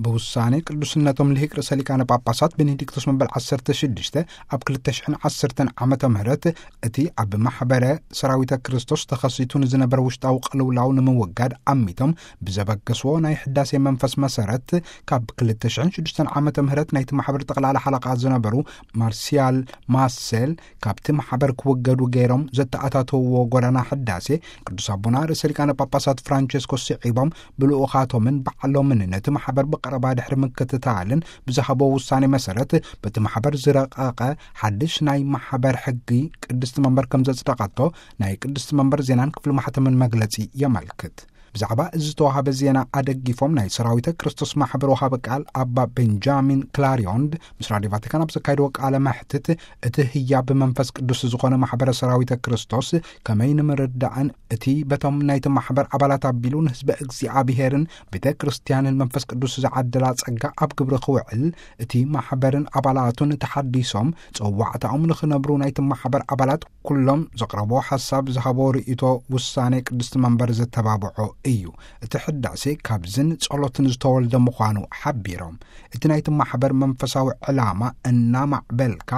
ብውሳኔ ቅዱስነቶም ልሂቅ ርእሰ ሊቃነ ጳጳሳት ቤኔዲክቶስ መበል ዓሰርተ ሽዱሽተ፣ ኣብ ክልተ ሽሕን ዓሰርተን ዓመተ ምህረት እቲ ኣብ ማሕበረ ሰራዊተ ክርስቶስ ተኸሲቱ ንዝነበረ ውሽጣዊ ቅልውላው ንምውጋድ ኣሚቶም ብዘበገስዎ ናይ ሕዳሴ መንፈስ መሰረት፣ ካብ ክልተ ሽሕን ሽዱሽተን ዓመተ ምህረት ናይቲ ማሕበር ጠቕላላ ሓለቓ ዝነበሩ ማርሲያል ማሴል ካብቲ ማሕበር ክውገዱ ገይሮም ዘተኣታተውዎ ጎዳና ሕዳሴ፣ ቅዱስ ኣቦና ርእሰ ሊቃነ ጳጳሳት ፍራንቸስኮስ ስዒቦም ብልኡኻቶምን ባዕሎምን ነቲ ማሕበር ብቐረባ ድሕሪ ምክትታልን ብዝሃቦ ውሳኔ መሰረት፣ በቲ ማሕበር ዝረቐቐ ሓድሽ ናይ ማሕበር ሕጊ ቅድስቲ መንበር ከም ዘጽደቐቶ ናይ ቅድስቲ መንበር ዜናን ክፍሊ ማሕተምን መግለጺ የመልክት። ብዛዕባ እዚ ዝተዋሃበ ዜና ኣደጊፎም ናይ ሰራዊተ ክርስቶስ ማሕበር ወሃቢ ቃል ኣባ ቤንጃሚን ክላሪዮንድ ምስ ራድዮ ቫቲካን ኣብ ዘካየድዎ ቃለ መሕትት፣ እቲ ህያብ መንፈስ ቅዱስ ዝኾነ ማሕበረ ሰራዊተ ክርስቶስ ከመይ ንምርዳእን እቲ በቶም ናይቲ ማሕበር ኣባላት ኣቢሉ ንህዝበ እግዚኣብሄርን ቤተ ክርስቲያንን መንፈስ ቅዱስ ዝዓደላ ጸጋ ኣብ ግብሪ ክውዕል፣ እቲ ማሕበርን ኣባላቱን ተሓዲሶም ጸዋዕታኦም ንኽነብሩ ናይቲ ማሕበር ኣባላት ኩሎም ዘቕረቦ ሓሳብ ዝሃቦ ርእይቶ ውሳኔ ቅድስቲ መንበር ዘተባብዖ እዩ። እቲ ሕዳሴ ካብዝን ጸሎትን ዝተወልደ ምዃኑ ሓቢሮም፣ እቲ ናይቲ ማሕበር መንፈሳዊ ዕላማ እናማዕበልካ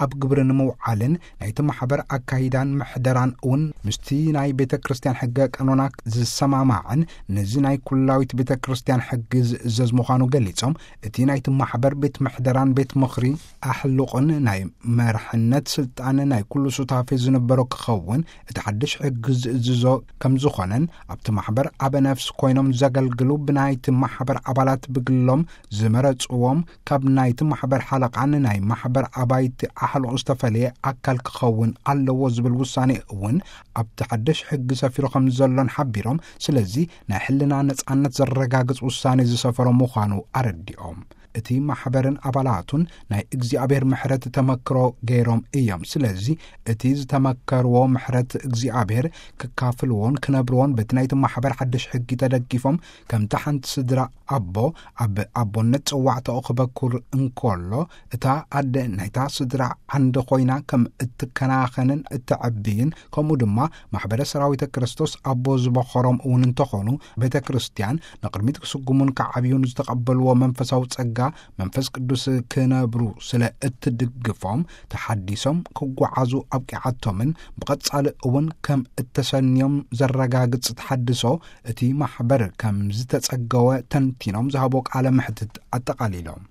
ኣብ ግብሪ ንምውዓልን ናይቲ ማሕበር ኣካይዳን ምሕደራን እውን ምስቲ ናይ ቤተ ክርስቲያን ሕገ ቀኖና ዝሰማማዕን ነዚ ናይ ኩላዊት ቤተ ክርስቲያን ሕጊ ዝእዘዝ ምዃኑ ገሊጾም፣ እቲ ናይቲ ማሕበር ቤት ምሕደራን ቤት ምኽሪ ኣሕልቑን ናይ መርሕነት ስልጣን ናይ ኩሉ ሱታፌ ዝነበሮ ክኸውን እቲ ሓድሽ ሕጊ ዝእዝዞ ከም ዝኾነን፣ ኣብቲ ማሕበር ኣበ ነፍስ ኮይኖም ዘገልግሉ ብናይቲ ማሕበር ኣባላት ብግሎም ዝመረጽዎም ካብ ናይቲ ማሕበር ሓለቓን ናይ ማሕበር ኣባይቲ ኣሕልቑ ዝተፈለየ ኣካል ክኸውን ኣለዎ ዝብል ውሳኔ እውን ኣብቲ ሓድሽ ሕጊ ሰፊሩ ከም ዘሎን ሓቢሮም፣ ስለዚ ናይ ሕልና ነጻነት ዘረጋግጽ ውሳኔ ዝሰፈሮ ምዃኑ ኣረዲኦም። እቲ ማሕበርን ኣባላቱን ናይ እግዚኣብሔር ምሕረት ተመክሮ ገይሮም እዮም። ስለዚ እቲ ዝተመከርዎ ምሕረት እግዚኣብሔር ክካፍልዎን ክነብርዎን በቲ ናይቲ ማሕበር ሓድሽ ሕጊ ተደጊፎም ከምቲ ሓንቲ ስድራ ኣቦ ኣብ ኣቦነት ጸዋዕታኡ ክበኩር እንከሎ እታ ኣደ ናይታ ስድራ ዓንዲ ኮይና ከም እትከናኸንን እትዕብይን ከምኡ ድማ ማሕበረ ሰራዊተ ክርስቶስ ኣቦ ዝበኸሮም እውን እንተኾኑ ቤተ ክርስቲያን ንቕድሚት ክስጉሙን ክዓብዩን ዝተቐበልዎ መንፈሳዊ ጸጋ መንፈስ ቅዱስ ክነብሩ ስለ እትድግፎም ተሓዲሶም ክጓዓዙ ኣብቂዓቶምን ብቐጻሊ እውን ከም እተሰንዮም ዘረጋግጽ ተሓድሶ እቲ ማሕበር ከም ዝተጸገወ ተንቲኖም ዝሃቦ ቃለ መሕትት ኣጠቓሊሎም።